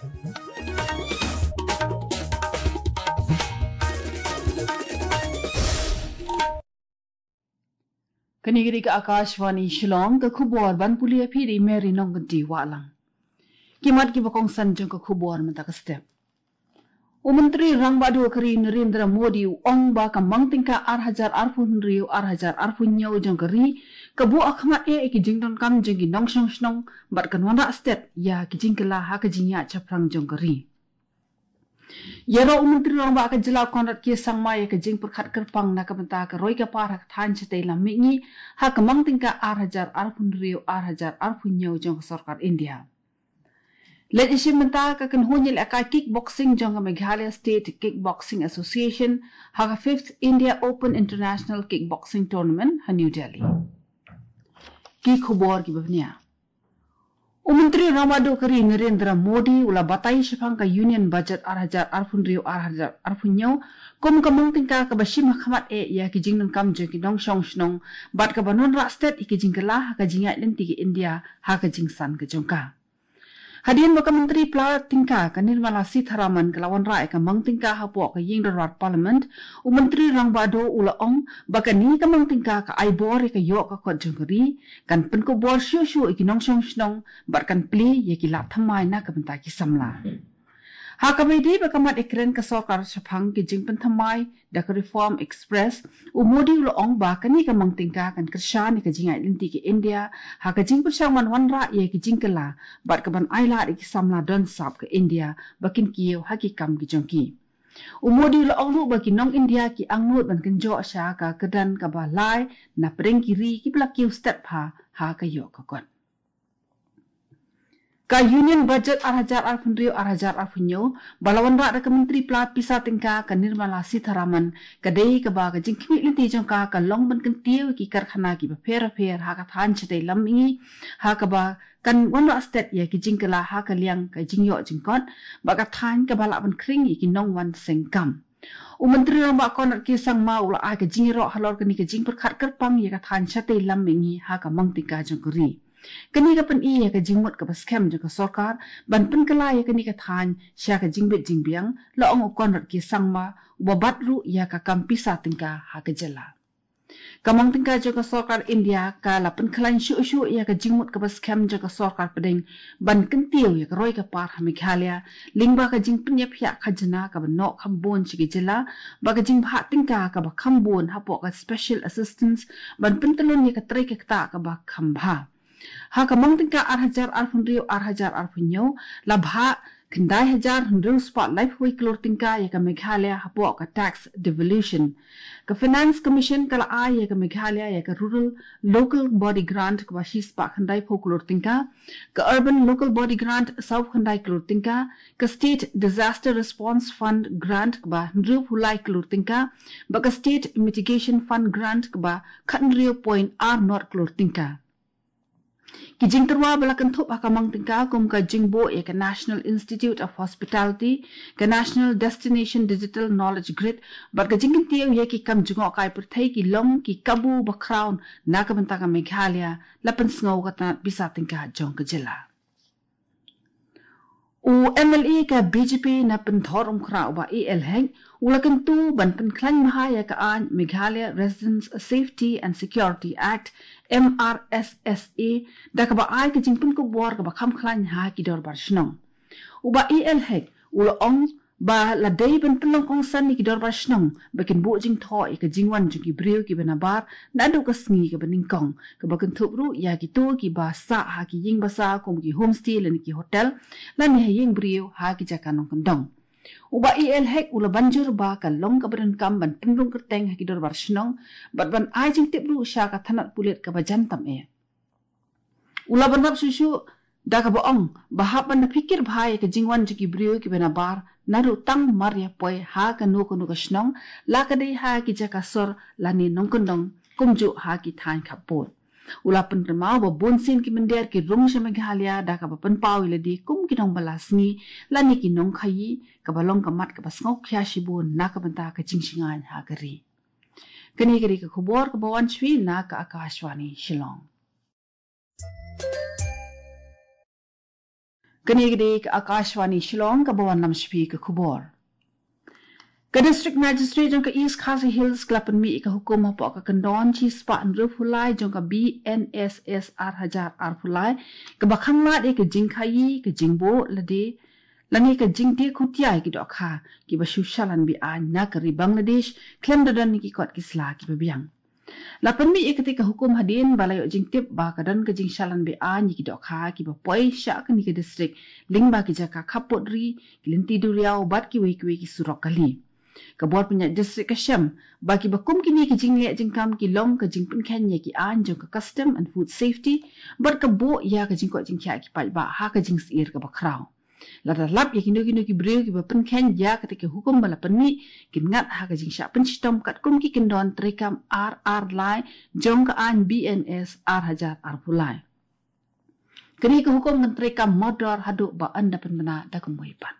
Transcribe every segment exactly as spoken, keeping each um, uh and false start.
Kane ka dei ka Akashvani Shillong, ka khubor ban pule ïa phi da i Mary Nongkynti Wahlang. Ki mat kiba kongsan jong ka khubor mynta ka step. U Myntri Rangbah Duh ka ri Narendra Modi u ong ba ka mang tyngka ar hajar arphew hynriew ar hajar arphew hynñiew jong ka ri ka buh ha khmat eh ïa ki jingdonkam jong ki nongshong shnong bad kan wanrah stet ïa ki jingkylla ha ka jingïaid shaphrang jong ka ri. Ïaroh u Myntri Rangbah ka jylla Conrad K Sangma ïa ka jingpyrkhat kyrpang na ka bynta ka roi ka par ha ka thaiñ shatei lam mihngi ha ka mang tyngka ar hajar arphew hynriew ar hajar arphew hynñiew jong ka sorkar India. Leit ïashim bynta ka kynhun ïalehkai kickboxing jong ka Meghalaya State Kickboxing Association ha ka fifth India Open International Kickboxing Tournament ha New Delhi. Ki khubor kiba bniah. U Myntri Rangbah Duh ka ri Narendra Modi u la batai shaphang ka Union Budget ar hajar arphew hynriew ar hajar arphew hynñiew kum ka mang tyngka kaba shim ha khmat eh ïa ki jingdonkam jong ki nongshong shnong bad kaban wanrah stet ïa ki jingkylla ha ka jingïaid lynti ka India ha ka jingsan ka jong ka. Hadien ba ka Myntri Pla tyngka ka Nirmala Sitharaman ka la wanrah ïa ka mang tyngka hapoh ka ïing dorbar Parliament, u Myntri Rangbah Duh u la ong ba kane ka mang tyngka ka ai bor ïa ka ïoh ka kot jong ka ri, kan pynkup bor shuh shuh ïa ki nongshong shnong bad kan plie ïa ki lad thymmai na ka bynta ki samla. Ha kaba ïadei bad ka mat ïakren ka sorkar shaphang ki jingpynthymmai da ka Reform Express, u Modi u la ong ba kane ka mang tyngka kan kyrshan ïa ka jingïaid lynti ka India ha ka jingpyrshang ban wanrah ïa ki jingkylla bad kaban ailad ïa ki samla don sap ka India ba kin kiew ha ki kam ki jong ki. U Modi u la ong ruh ba ki nong India ki angnud ban kynjoh sha ka kyrdan kaba lai na pdeng ki ri kiba la kiew stet bha ha ka ïoh ka kot. Ka Union Budget ar hajar arphew hynriew ar hajar arphew hynñiew ba la wanrah da ka Myntri Pla Pisa Tyngka ka Nirmala Sitharaman ka dei kaba ka jingkhmih lynti jong ka ka long ban kyntiew ïa ki karkhana kiba pher bapher ha ka thaiñ shatei lam mihngi ha kaba kan wanrah stet ïa ki jingkylla ha ka liang ka jingïoh jingkot bad ka thaiñ kaba lah ban khring ïa ki nongwan seng kam. U Myntri Rangbah Conrad K Sangma u la ai ka jingïaroh halor kane ka jingpyrkhat kyrpang ïa ka thaiñ shatei lam mihngi ha ka mang tyngka jong ka ri. Kane ka pyni ïa ka jingmut kaba skhem jong ka sorkar ban pynkylla ïa kane ka thaiñ sha ka jingbit jingbiang, la ong u Conrad K Sangma uba bat ruh ïa ka kam pisa tyngka ha ka jylla. Ka mang tyngka jong ka sorkar India ka la pynkhlaiñ shuh shuh ïa ka jingmut kaba skhem jong ka sorkar pdeng ban kyntiew ïa ka roi ka par ha Meghalaya lyngba ka jingpynïap ïa ka khajna kaba noh kham bun sha ki jylla, ba ka jingbhah tyngka kaba kham bun hapoh ka special assistance ban pyntyllun ïa ka trei ka ktah kaba kham bha. Ha ka mang tyngka ar hajar arphew hynriew ar hajar arphew hynñiew la bhah khyndai hajar hynriew spah laiphew wei klur tyngka ïa ka Meghalaya hapoh ka tax devolution. Ka Finance Commission ka la ai ïa ka Meghalaya ïa ka Rural Local Body Grant kaba shispah khyndaiphew klur tyngka, ka Urban Local Body Grant sawphew khyndai klur tyngka, ka State Disaster Response Fund Grant kaba hynriewphew lai klur tyngka, bad ka State Mitigation Fund Grant kaba khathynriew point ar nod klur tyngka. Ki jingtyrwa ba la kynthup ha ka mang tyngka kum ka jingbuh ïa ka National Institute of Hospitality, ka National Destination Digital Knowledge Grid, bad ka jingkyntiew ïa ki kam jngohkai pyrthei ki long ki kabu ba khraw na ka bynta ka Meghalaya, la pynsngew ka tnat pisa tyngka jong ka jylla. U M L A ka B J P na Pynthorumkhrah u Bah A L Hek u la kyntu ban pynkhlaiñ bha ïa ka aiñ Meghalaya Residents Safety and Security Act, M R S S A, da kaba ai ka jingpynkup bor kaba kham khlaiñ ha ki dorbar shnong. U Bah A L Hek u la ong ba la dei ban pynlong kongsan ïa ki dorbar shnong ba kin buh jingthoh ïa ka jingwan jong ki briew kiba nabar naduh ka sngi kaba nyngkong, kaba kynthup ruh ïa kito kiba sah ha ki ïing basa kum ki homestay lane ki hotel, lane ha ïing briew ha ki jaka nongkyndong. U Bah A L Hek u la ban jur ba ka long kaba donkam ban pynrung kyrteng ha ki dorbar shnong bad ban ai jingtip ruh sha ka thanat pulit kaba jan tam eh. U la bynrap shuh shuh da kaba ong ba hap ban da phikir bha ïa ka jingwan jong ki briew kiba nabar naduh tang mar ïa poi ha kano kano ka shnong, la ka dei ha ki jaka sor lane nongkyndong, kumjuh ha ki thaiñ khappud. U la pynrem ba bunsien ki mynder ki rung sha Meghalaya da kaba pynpaw ïa lade kum ki nongbylla sngi lane ki nongkhaii, kaba long ka mat kaba sngewkhia shibun na ka bynta ka jingshngaiñ ha ka ri. Kane ka dei ka khubor kaba wan sha phi na ka Akashvani Shillong. Kane ka dei ka Akashvani Shillong, kaba wanlam sha phi ka khubor. Ka District Magistrate jong ka East Khasi Hills ka la pynmih ïa ka hukum hapoh ka kyndon shispah hynriew phew lai jong ka B N S S ar hajar arphew lai, kaba khanglad ïa ka jingkhaïi, ka jingbuh lade lane ka jingdie khutia ïa ki dohkha kiba shu shalan be-aiñ na ka ri Bangladesh, khlem da don ïa ki kot ki sla kiba biang. La pynmih ïa katei ka hukum hadien ba la ïoh jingtip ba ka don ka jingshalan be-aiñ ïa ki dohkha kiba poi sha kane ka district lyngba ki jaka khappud ri, ki lynti duriaw bad kiwei kiwei ki surok kali. Ka bor pynïaid district ka shem ba kiba kum kine ki jingleh jingkam ki long ka jingpynkheiñ ïa ki aiñ jong ka Custom and Food Safety bad ka buh ïa ka jingkoit jingkhiah ki paidbah ha ka jingsyier kaba khraw. Lada lap ïa kino kino ki briew kiba pynkheiñ ïa katei ka hukum ba la pynmih, kin ngat ha ka jingshah pynshitom katkum ki kyndon treikam ar ar lai jong ka aiñ B N S ar hajar arphew lai. Kane ka hukum kan treikam mordor haduh ba yn da pynbna da kumwei pat.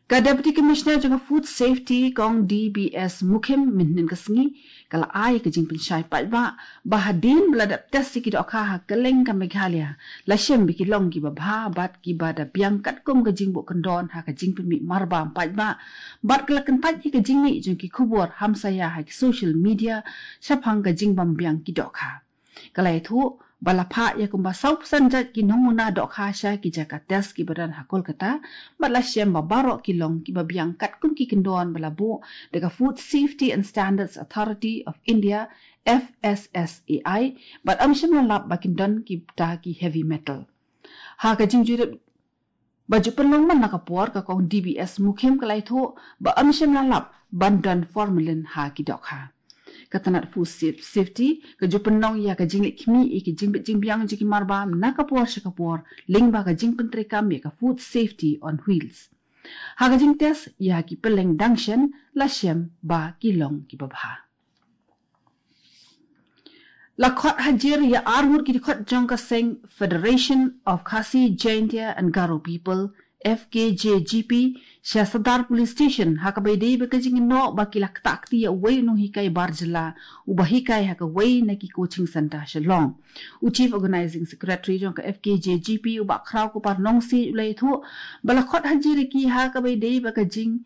Ka Deputy Commissioner jong ka Food Safety, Kong D B S Mukhim, mynhynnin ka sngi ka la ai ka jingpynshai paidbah ba hadien ba la dep test ïa ki dohkha ha kylleng ka Meghalaya, la shem ba ki long kiba bha bad kiba da biang katkum ka jingbuh kyndon ha ka jingpynmih marbam paidbah. Bad ka la kyntait ïa ka jingmih jong ki khubor hamsaïa ha ki social media shaphang ka jingbym biang ki dohkha. Ka la ïathuh ba la phah ïa kumba saw percent jait ki nongmuna dohkha sha ki jaka test kiba don ha Kolkata, bad la shem ba baroh ki long kiba biang katkum ki kyndon ba la buh da ka Food Safety and Standards Authority of India, F S S A I, bad ym shym la lap ba kin don kita ki heavy metal. Ha ka jingjurip ba ju pynlong man la ka por, ka Kong D B S Mukhim ka la ïathuh ba ym shym la lap ban don formalin ha ki dohkha. Ka tnat Food Saf-, Safety ka ju pynlong ïa ka jingleit khmih ïa ka jingbit jingbiang jong ki marbam na ka por sha ka por lyngba ka jingpyntreikam ïa ka Food Safety on Wheels. Ha ka jingtest ïa ki pylleng dang shen, la shem ba ki long kiba bha. La khot hajir ïa arngut ki dkhot jong ka seng Federation of Khasi Jaintia and Garo People, F K J G P, sha Sadar Police Station ha kaba ïadei bad ka jingïaroh ba ki la ktah kti ïa uwei u nonghikai bar jylla uba hikai ha kawei na ki coaching centre Shillong. U Chief Organising Secretary jong ka F K J G P, u Bah Khraw Kupar Nongsiej, u la ïathuh ba la khot hajir ïa ki ha kaba ïadei bad ka jing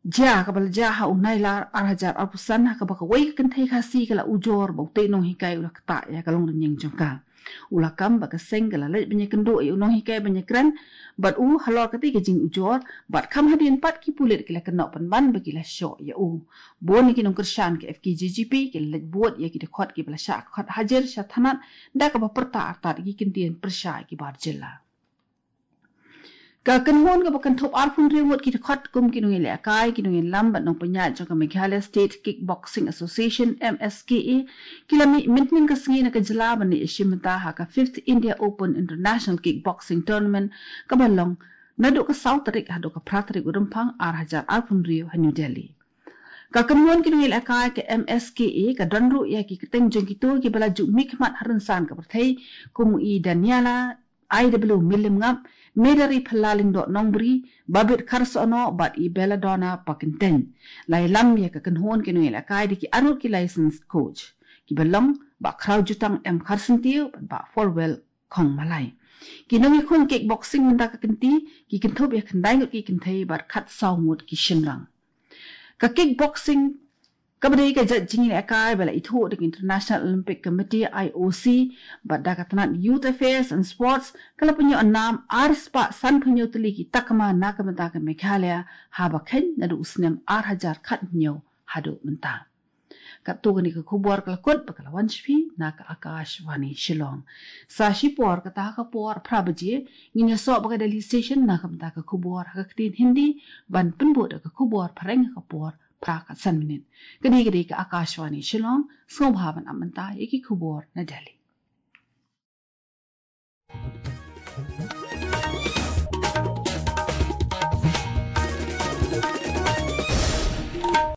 jia kaba la jia ha u Nailar ar hajar arphew san, ha kaba kawei ka kynthei Khasi ka la ujor ba utei u nonghikai u la ktah ïa ka longrynïeng jong ka. U la kam ba ka seng ka la leit ban ïakynduh ïa u nonghikai ban ïakren bad u halor katei ka jingujor, bad kham hadien pat ki pulit ki la kynnoh pynban ba ki la shoh ïa u. Bun ïa ki nongkyrshan ka F K J G P ki la leit bud ïa ki dkhot kiba la shah khot hajir sha thanat, da kaba pyrta artat ïa ki kyntien pyrshah ïa ki bar jylla. Ka kynhun kaba kynthup arphew hynriew ngut ki dkhot kum ki nongïalehkai, ki nongïalam bad nongpynïaid jong ka Meghalaya State Kickboxing Association, M S K A, ki la mih mynhynnin ka sngi na ka jylla ban leit ïashim bynta ha ka fifth India Open International Kickboxing Tournament, kaba long naduh ka saw tarik haduh ka phra tarik u Rymphang ar hajar arphew hynriew ha New Delhi. Ka kynhun ki nongïalehkai ka M S K A ka don ruh ïa ki kyrteng jong kito kiba la ju mihkhmat ha rynsan ka pyrthei, kum i Daniela I W Millimngap, Medari Phylla Lyngdoh Nongbri, Babit Kharsohno bad i Belladonna Pakyntein. La ïalam ïa ka kynhun ki nongïalehkai da ki arngut ki licensed coach, kiba long Bah Khrawjutang M Kharsyntiew bad Bah Forwell Khongmalai. Ki nongïakhun kickboxing mynta ka kynti ki kynthup ïa khyndai ngut ki kynthei bad khatsaw ngut ki shynrang. Ka kickboxing kaba dei ka jait jingïalehkai ba la ithuh da ka International Olympic Committee, I O C, bad da ka tnat Youth Affairs and Sports, ka la pynïoh nam arspah sanphew hynñiew tylli ki takma na ka bynta ka Meghalaya, haba kheiñ naduh u snem ar hajar khathynñiew haduh mynta. Katto katne ka khubor ka la kut bad ka la wan sha phi na ka Akashvani Shillong. Sa shipor kata ha ka por phra baje ngin ïasoh bad ka Delhi Station na ka bynta ka khubor ha ka ktien Hindi, ban pynbud da ka khubor phareng ha ka por phra khatsan minit. Kane ka dei ka Akashvani Shillong, sngewbha ban ap mynta ïa ki khubor na Delhi.